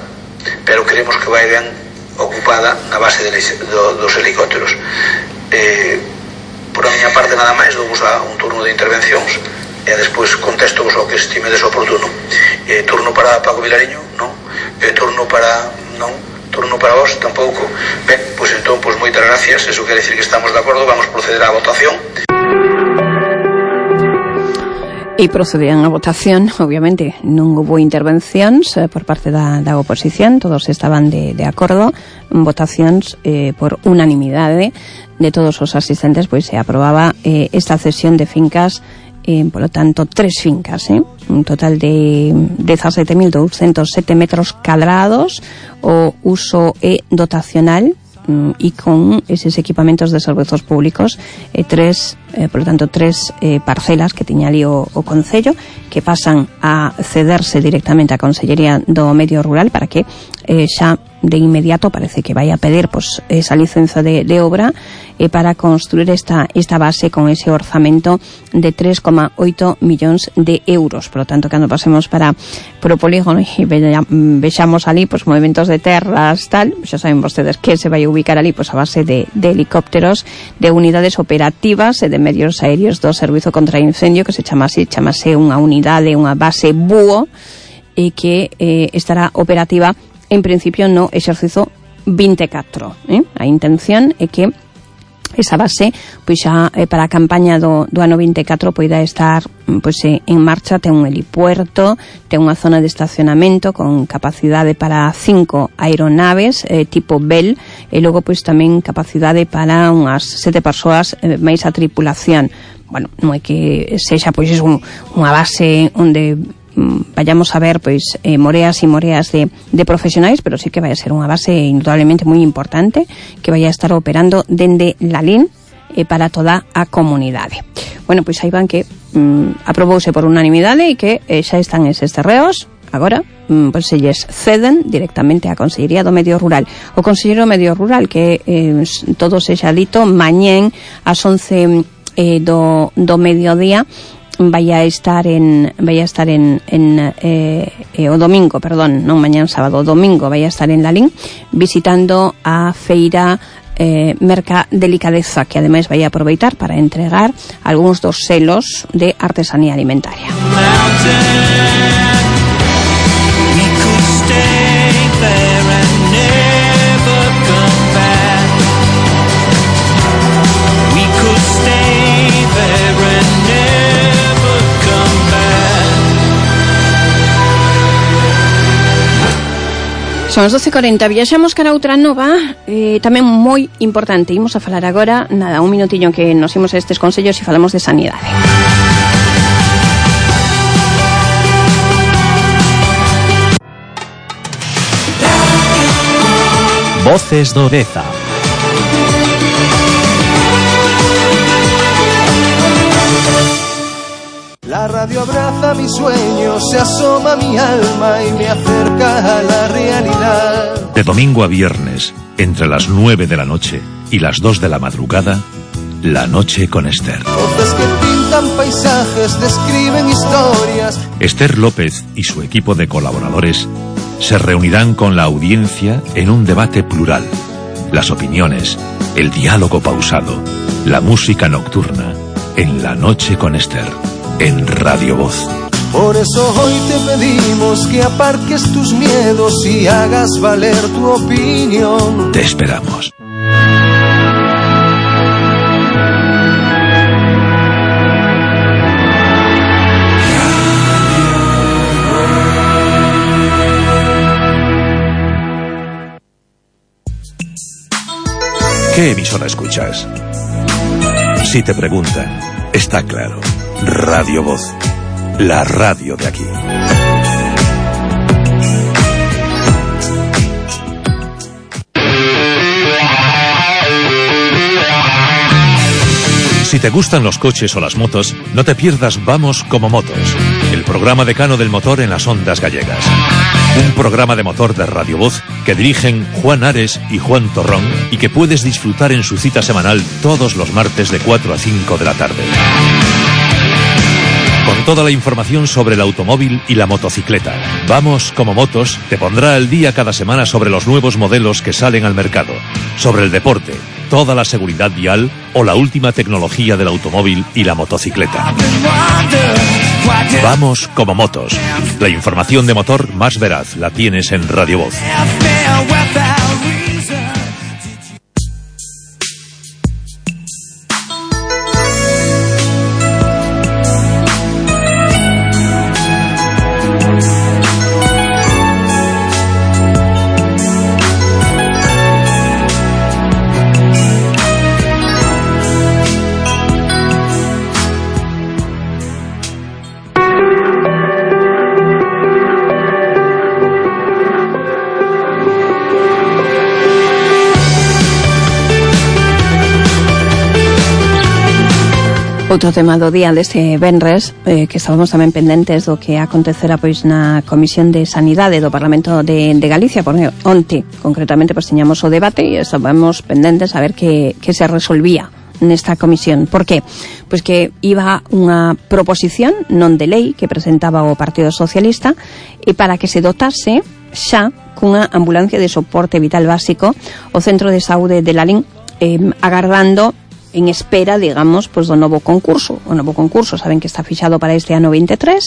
pero queremos que vai ben ocupada na base dos helicópteros. Por a miña parte nada máis, douvos a un turno de intervencións, e despois contesto vos ao que estimedes oportuno. Turno para Paco Vilariño? Non. Turno para vos? Tampouco. Ben, pois entón, moitas gracias, eso quere decir que estamos de acordo, vamos proceder á votación. E procedían a votación, obviamente non houve intervencións por parte da oposición, todos estaban de acordo, votacións por unanimidade de todos os asistentes, pois se aprobaba esta cesión de fincas, polo tanto 3 fincas, un total de 17.207 metros cadrados, o uso dotacional, e con eses equipamentos de servizos públicos, por lo tanto, 3 parcelas que tiña ali o Concello, que pasan a cederse directamente á Consellería do Medio Rural, para que xa de inmediato parece que vai a pedir esa licenza de obra para construir esta base con ese orzamento de 3,8 millóns de euros. Por lo tanto, cando pasemos para o polígono e vexamos ali movimentos de terras, tal, xa saben vostedes que se vai ubicar ali a base de helicópteros, de unidades operativas e de medios aéreos do Servizo contra Incendio, que se chamase unha unidade, unha base búho, e que estará operativa en principio no exercizo 24. A intención é que esa base pois xa para a campaña do ano 24 poida estar pois en marcha. Ten un helipuerto, ten unha zona de estacionamento con capacidade para 5 aeronaves tipo Bell, e logo pois tamén capacidade para unhas 7 persoas máis a tripulación. Bueno, non é que sexa pois unha base onde vayamos a ver pois moreas e moreas de profesionais, pero sí que vai a ser unha base indudablemente moi importante que vai a estar operando dende Lalín para toda a comunidade. Bueno, pois aí van que aprobouse por unanimidade e que xa están eses terreos. Agora, pois se lles ceden directamente á Consellería do Medio Rural. O Conselleiro do Medio Rural, que todo sexa dito, mañén ás 11 do mediodía vai a estar en o domingo, perdón, non mañán sábado, o domingo vai a estar en Lalín visitando a feira Merca Delicadeza, que ademais vai a aproveitar para entregar algúns dos selos de artesanía alimentaria. Son as 12:40, viaxamos cara a outra nova tamén moi importante. Imos a falar agora, nada, un minutillo que nos imos a estes consellos e falamos de sanidade. Voces do Deza. La radio abraza mis sueños, se asoma a mi alma y me acerca a la realidad. De domingo a viernes, entre las 9 de la noche y las 2 de la madrugada, La Noche con Esther. Voces que pintan paisajes, describen historias. Esther López y su equipo de colaboradores se reunirán con la audiencia en un debate plural. Las opiniones, el diálogo pausado, la música nocturna, en La Noche con Esther. En Radio Voz. Por eso hoy te pedimos que aparques tus miedos y hagas valer tu opinión. Te esperamos. ¿Qué emisora escuchas? Si te preguntan, está claro. Radio Voz, la radio de aquí. Si te gustan los coches o las motos, no te pierdas Vamos como Motos, el programa decano del motor en las ondas gallegas. Un programa de motor de Radio Voz que dirigen Juan Ares y Juan Torrón y que puedes disfrutar en su cita semanal todos los martes de 4 a 5 de la tarde. Con toda la información sobre el automóvil y la motocicleta. Vamos como Motos te pondrá al día cada semana sobre los nuevos modelos que salen al mercado, sobre el deporte, toda la seguridad vial o la última tecnología del automóvil y la motocicleta. Vamos como Motos. La información de motor más veraz la tienes en Radio Voz. Outro tema do día deste venres, que estábamos tamén pendentes do que acontecera pois na Comisión de Sanidade do Parlamento de Galicia, porque onte concretamente pois tiñamos o debate e estábamos pendentes a ver que se resolvía nesta comisión. Por qué? Pois que iba unha proposición non de lei que presentaba o Partido Socialista e para que se dotase xa cunha ambulancia de soporte vital básico o Centro de Saúde de Lalín, agardando en espera, digamos, pues do novo concurso. O novo concurso saben que está fixado para este ano 23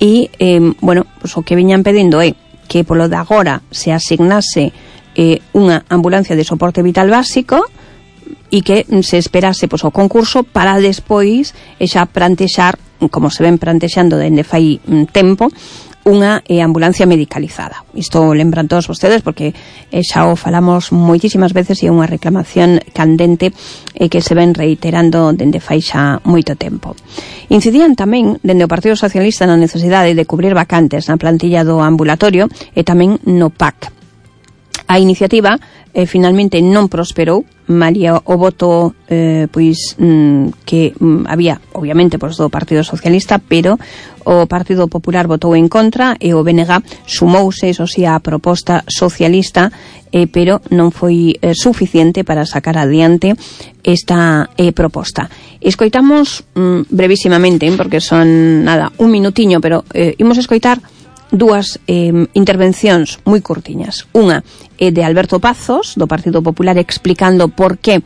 e, bueno, pues o que viñan pedindo é que polo de agora se asignase unha ambulancia de soporte vital básico e que se esperase pois, o concurso para despois xa plantexar, como se ven plantexando dende fai tempo, unha ambulancia medicalizada. Isto lembran todos vostedes porque xa o falamos moitísimas veces e é unha reclamación candente que se ven reiterando dende fai xa moito tempo. Incidían tamén dende o Partido Socialista na necesidade de cubrir vacantes na plantilla do ambulatorio e tamén no PAC. A iniciativa finalmente non prosperou, malia o voto que había, obviamente, do Partido Socialista, pero o Partido Popular votou en contra e o BNG sumouse, eso sí, á proposta socialista, pero non foi suficiente para sacar adiante esta proposta. Escoitamos brevísimamente, porque son, un minutiño, pero imos escoitar dúas intervencións moi curtiñas. Unha é de Alberto Pazos, do Partido Popular, explicando por que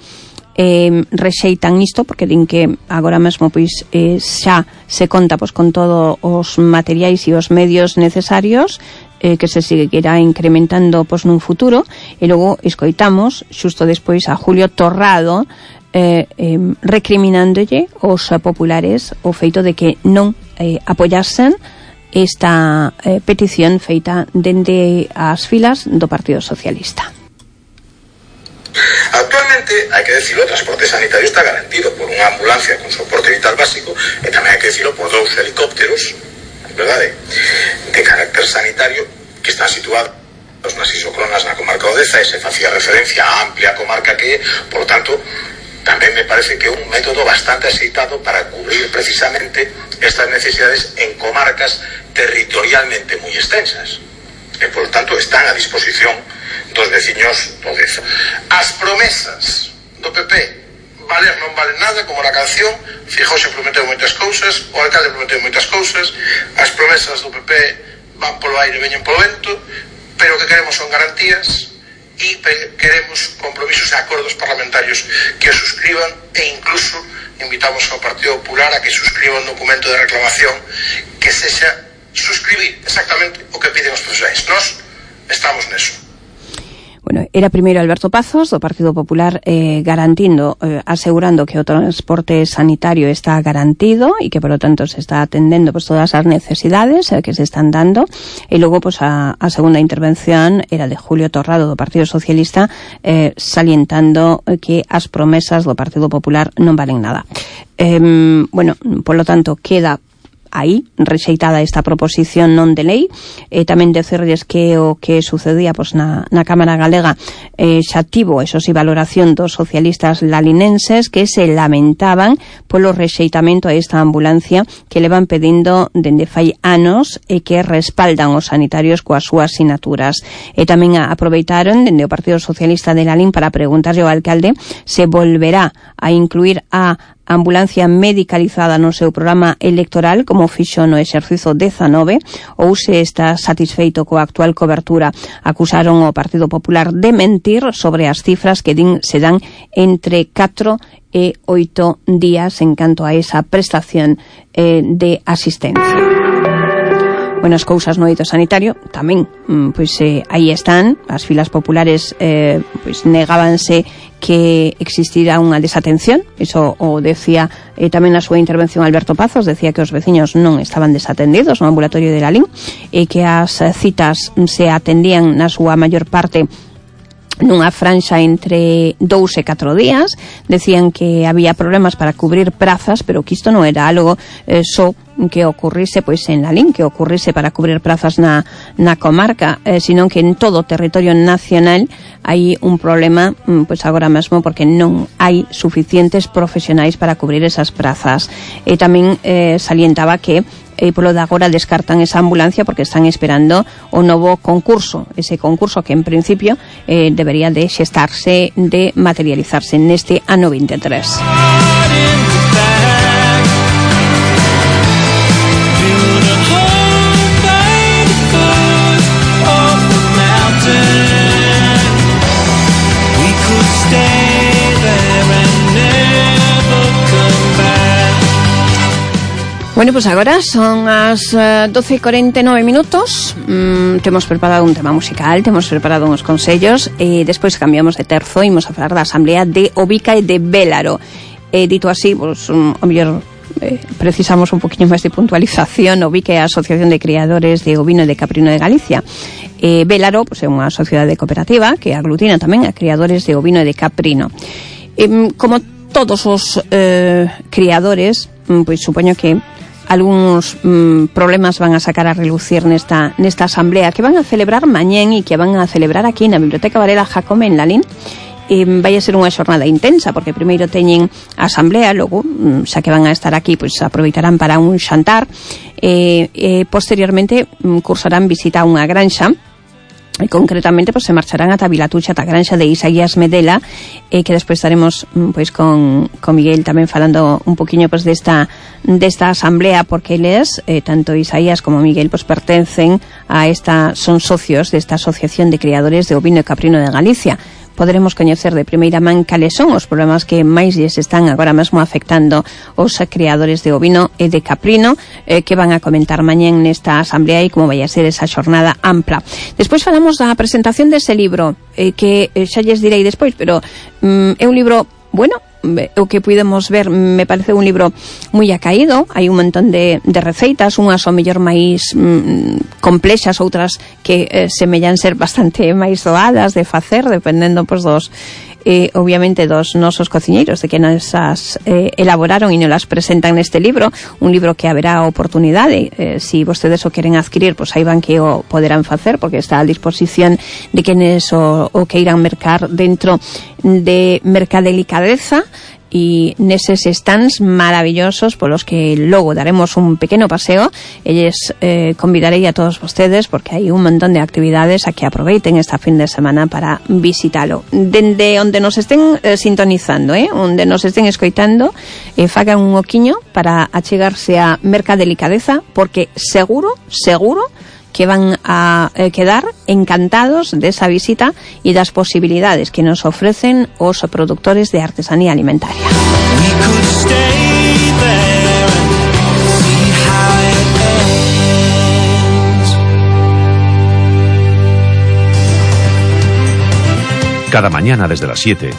rexeitan isto, porque din que agora mesmo pois xa se conta pois con todos os materiais e os medios necesarios, que se seguirá incrementando pois nun futuro. E logo escoitamos xusto despois a Julio Torrado recriminándolle aos populares o feito de que non apoyasen esta petición feita dende as filas do Partido Socialista. Actualmente, hai que decirlo, o transporte sanitario está garantido por unha ambulancia con soporte vital básico e tamén hai que decirlo por 2 helicópteros, verdade, de carácter sanitario que están situados nas isocronas na comarca Odeza, e se facía referencia á amplia comarca que é, por tanto, tamén me parece que é un método bastante aceitado para cubrir precisamente estas necesidades en comarcas territorialmente moi extensas. E, por tanto, están a disposición dos veciños do Deza. As promesas do PP valer non valen nada, como na canción. Feijóo se prometeu moitas cousas, o alcalde prometeu moitas cousas, as promesas do PP van polo aire e veñen polo vento, pero o que queremos son garantías e queremos compromisos e acordos parlamentarios que os suscriban, e incluso invitamos ao Partido Popular a que suscriba un documento de reclamación que sexa suscribir exactamente o que piden os profesionais. Nós estamos neso. Bueno, era primeiro Alberto Pazos do Partido Popular asegurando que o transporte sanitario está garantido e que, por lo tanto, se está atendendo pues, todas as necesidades que se están dando. E logo pues, a segunda intervención era de Julio Torrado do Partido Socialista salientando que as promesas do Partido Popular non valen nada. Bueno, por lo tanto, queda aí rexeitada esta proposición non de lei. Tamén decirles que o que sucedía pois, na Cámara Galega xa tivo, eso sí, valoración dos socialistas lalinenses que se lamentaban polo rexeitamento a esta ambulancia que levan pedindo dende fai anos e que respaldan os sanitarios coas súas sinaturas. E tamén aproveitaron dende o Partido Socialista de Lalín para preguntarlle ao alcalde se volverá a incluir a ambulancia medicalizada no seu programa electoral como fixo no exercizo 19 ou se está satisfeito coa actual cobertura. Acusaron ao Partido Popular de mentir sobre as cifras que se dan entre 4 e 8 días en canto a esa prestación de asistencia. Bueno, as cousas no eido sanitario tamén, pois aí están, as filas populares pois negábanse que existira unha desatención, iso o decía tamén na súa intervención Alberto Pazos, decía que os veciños non estaban desatendidos no ambulatorio de Lalín e que as citas se atendían na súa maior parte nunha franxa entre 2 e 4 días. Decían que había problemas para cubrir prazas, pero que isto non era algo só que ocurrise pois en Lalín, que ocurrise para cubrir prazas na comarca, sino que en todo o territorio nacional hai un problema pois agora mesmo porque non hai suficientes profesionais para cubrir esas prazas. E tamén salientaba que polo de agora descartan esa ambulancia porque están esperando o novo concurso, ese concurso que en principio debería de xestarse, de materializarse neste ano 23. Bueno, pues agora son as 12:49 minutos. Temos preparado un tema musical, temos preparado uns consellos e despois cambiamos de terzo e imos a falar da Asamblea de Ovica e de Bélaro. Dito así, pues, o mellor precisamos un poquinho máis de puntualización. Ovica é a Asociación de Criadores de Ovino e de Caprino de Galicia. Bélaro, pues, é unha sociedade cooperativa que aglutina tamén a criadores de ovino e de caprino. Como todos os criadores, pois supoño que algúns problemas van a sacar a relucir nesta asamblea que van a celebrar mañén e que van a celebrar aquí na Biblioteca Varela Jacome en Lalín. Vai a ser unha xornada intensa porque primeiro teñen a asamblea, logo xa que van a estar aquí, pois aproveitarán para un xantar e posteriormente cursarán visita a unha granxa. E concretamente pues, se marcharán ata Vilatucha, ata a granxa de Isaías Medela, que despois estaremos pois con Miguel tamén falando un poquinho pues, desta asamblea, porque eles, tanto Isaías como Miguel, pues, pertencen a son socios desta Asociación de Criadores de Ovino e Caprino de Galicia. Poderemos coñecer de primeira man cales son os problemas que máis lles están agora mesmo afectando os criadores de ovino e de caprino, que van a comentar mañén nesta asamblea e como vai a ser esa xornada ampla. Despois falamos da presentación dese libro, que xa lles direi despois, pero é un libro, bueno, o que pudemos ver, me parece un libro moi acaído. Hai un montón de receitas, unhas ao mellor máis complexas, outras que semellan ser bastante máis doadas de facer, dependendo pues, obviamente dos nosos cociñeiros, de que nos as elaboraron e nos las presentan neste libro. Un libro que haberá oportunidade, si vostedes o queren adquirir, pues aí van que o poderán facer, porque está a disposición de quenes o queiran mercar dentro de Mercadelicadeza e neses stands maravillosos polos que logo daremos un pequeno paseo. Elles convidarei a todos vostedes porque hai un montón de actividades a que aproveiten esta fin de semana para visitalo. Dende onde nos estén sintonizando, onde nos estén escoitando, fagan un oquiño para achegarse a Mercadelicadeza, porque seguro que van a quedar encantados desa visita e das posibilidades que nos ofrecen os productores de artesanía alimentaria. Cada mañana desde las 7,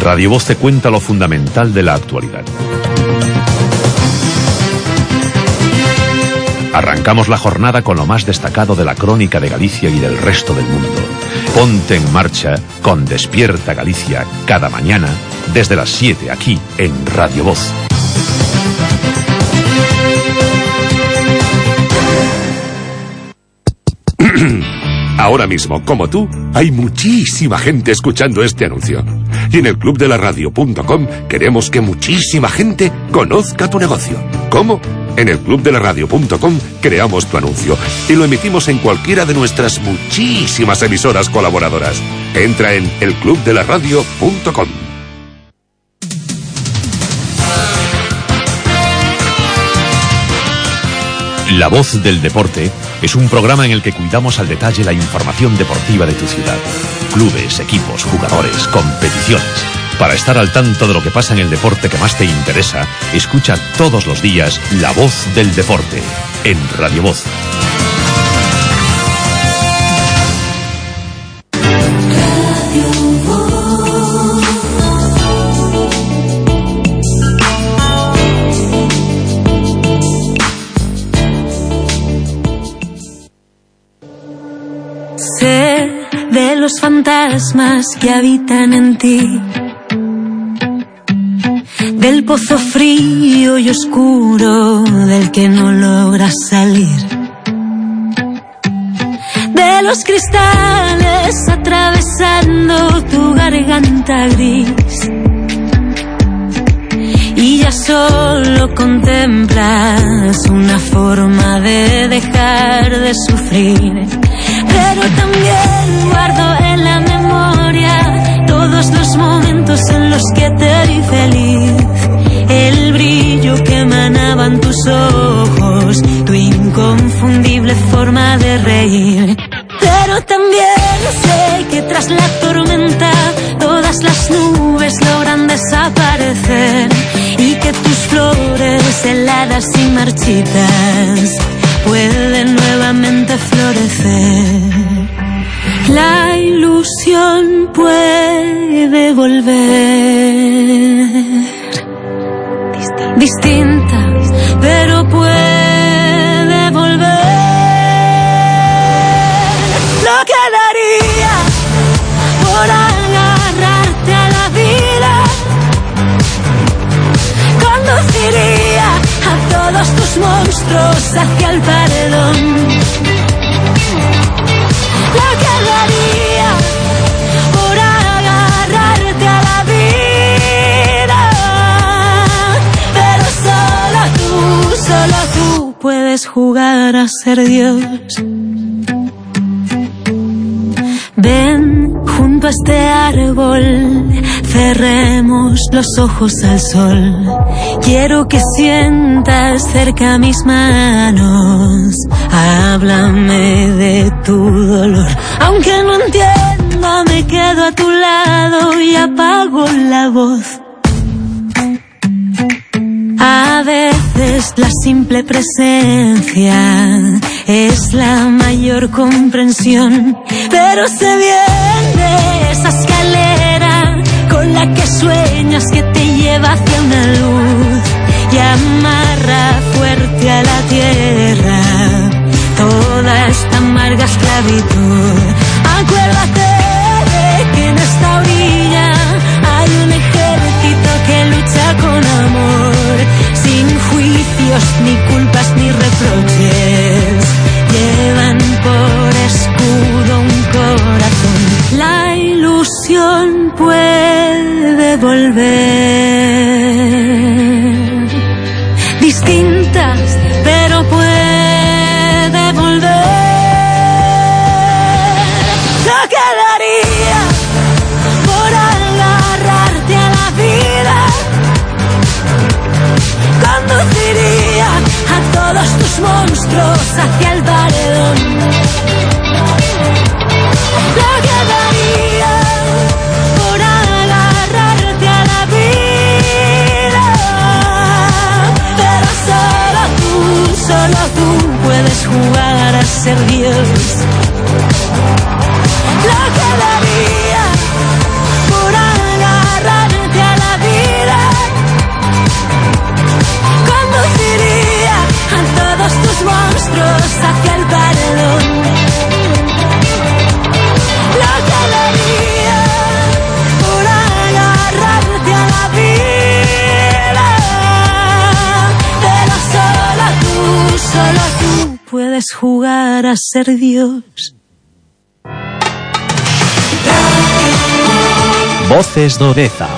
Radio Voz te cuenta lo fundamental de la actualidad. Arrancamos la jornada con lo más destacado de la crónica de Galicia y del resto del mundo. Ponte en marcha con Despierta Galicia cada mañana desde las 7 aquí en Radio Voz. Ahora mismo, como tú, hay muchísima gente escuchando este anuncio. Y en el clubdelaradio.com queremos que muchísima gente conozca tu negocio. ¿Cómo? En el clubdelaradio.com creamos tu anuncio y lo emitimos en cualquiera de nuestras muchísimas emisoras colaboradoras. Entra en elclubdelaradio.com. La Voz del Deporte es un programa en el que cuidamos al detalle la información deportiva de tu ciudad. Clubes, equipos, jugadores, competiciones. Para estar al tanto de lo que pasa en el deporte que más te interesa, escucha todos los días La Voz del Deporte en Radio Voz. Sé de los fantasmas que habitan en ti, del pozo frío y oscuro del que no logras salir, de los cristales atravesando tu garganta gris, y ya solo contemplas una forma de dejar de sufrir. Pero también guardo en la memoria todos los momentos en los que te vi feliz, el brillo que emanaban tus ojos, tu inconfundible forma de reír. Pero también sé que tras la tormenta todas las nubes logran desaparecer y que tus flores heladas frías y marchitas pueden nuevamente florecer. La ilusión puede volver, distinta, pero puede volver. Lo que daría por agarrarte a la vida, conduciría a todos tus monstruos hacia el paredón. Lo que daría por agarrarte a la vida, pero solo tú puedes jugar a ser Dios. Ven junto a este árbol, cerremos los ojos al sol. Quiero que sientas cerca mis manos. Háblame de tu dolor. Aunque no entienda, me quedo a tu lado y apago la voz. A veces la simple presencia es la mayor comprensión, pero se viene esa escalera con la que sueñas que te lleva hacia una luz y amarra fuerte a la tierra toda esta amarga esclavitud. Acuérdate de que en esta orilla hay un ejército que lucha con amor, sin juicios, ni culpas, ni reproches. Llevan por escudo un corazón. La ilusión puede volver, distintas, pero puede volver. Lo que daría por agarrarte a la vida, conduciría a todos tus monstruos hacia el paredón. Lo que daría por agarrarte a la vida, pero solo tú puedes jugar a ser Dios. Lo que daría por agarrarte a la vida, conduciría a todos tus monstruos hacia el paredón. Lo que daría por agarrarte a la vida, pero solo tú puedes jugar a ser Dios. Voces de Odeza.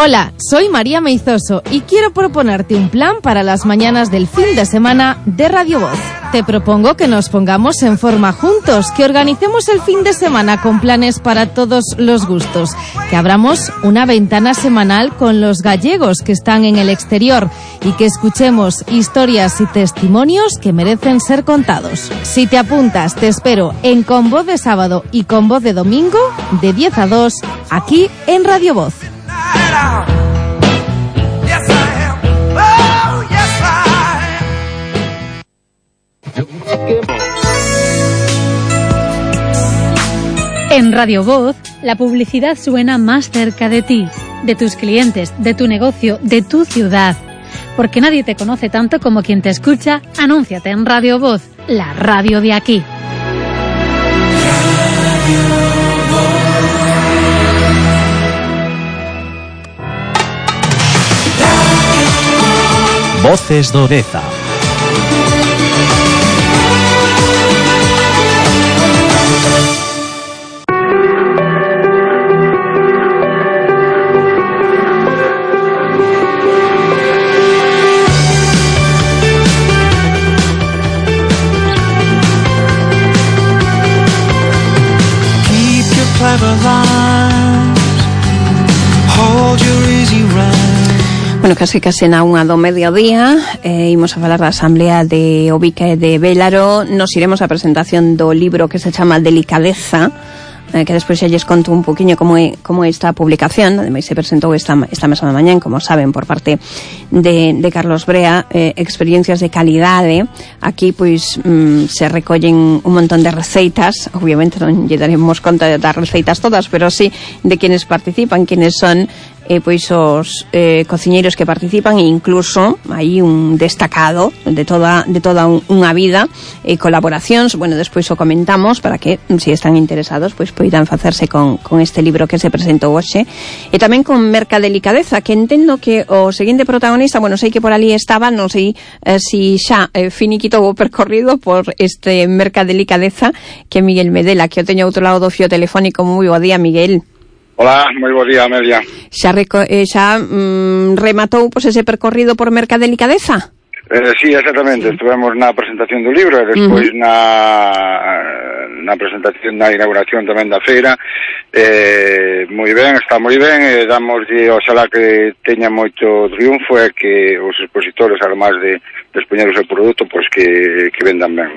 Hola, soy María Meizoso y quiero proponerte un plan para las mañanas del fin de semana de Radio Voz. Te propongo que nos pongamos en forma juntos, que organicemos el fin de semana con planes para todos los gustos, que abramos una ventana semanal con los gallegos que están en el exterior y que escuchemos historias y testimonios que merecen ser contados. Si te apuntas, te espero en Con Voz de Sábado y Con Voz de Domingo, de 10 a 2, aquí en Radio Voz. En Radio Voz, la publicidad suena más cerca de ti, de tus clientes, de tu negocio, de tu ciudad. Porque nadie te conoce tanto como quien te escucha. Anúnciate en Radio Voz, la radio de aquí. Voces de Odeza. Clever lines, hold your easy rhyme. Bueno, casi na unha do mediodía, imos a falar da Asamblea de Ovique de Vélaro. Nos iremos á presentación do libro que se chama Delicadeza, que despois xa lles conto un poquinho como é esta publicación. Ademais se presentou esta mesma mañá, como saben, por parte de Carlos Brea, experiencias de calidade. Aquí pois se recollen un montón de receitas. Obviamente non lle daremos conta das receitas todas, pero sí de quienes participan, quienes son pois os cociñeiros que participan, e incluso hai un destacado de toda unha vida, colaboracións. Bueno, despois o comentamos para que, se están interesados, pois poidan facerse con este libro que se presentou hoxe. E tamén con Mercadelicadeza, que entendo que o seguinte protagonista, bueno, sei que por ali estaba, non sei si xa finiquitou o percorrido por este Mercadelicadeza, que é Miguel Medela, que o teño outro lado do fío telefónico. Moi bo día, Miguel. Hola, moi bo día, Amelia. Xa rematou pois ese percorrido por Mercadelicadeza? Sí, exactamente. Estivemos na presentación do libro e despois na presentación, na inauguración tamén da feira. Moi ben, está moi ben, e damoslle oxalá que teña moito triunfo e que os expositores, además de expoñer o seu produto, pois que vendan ben.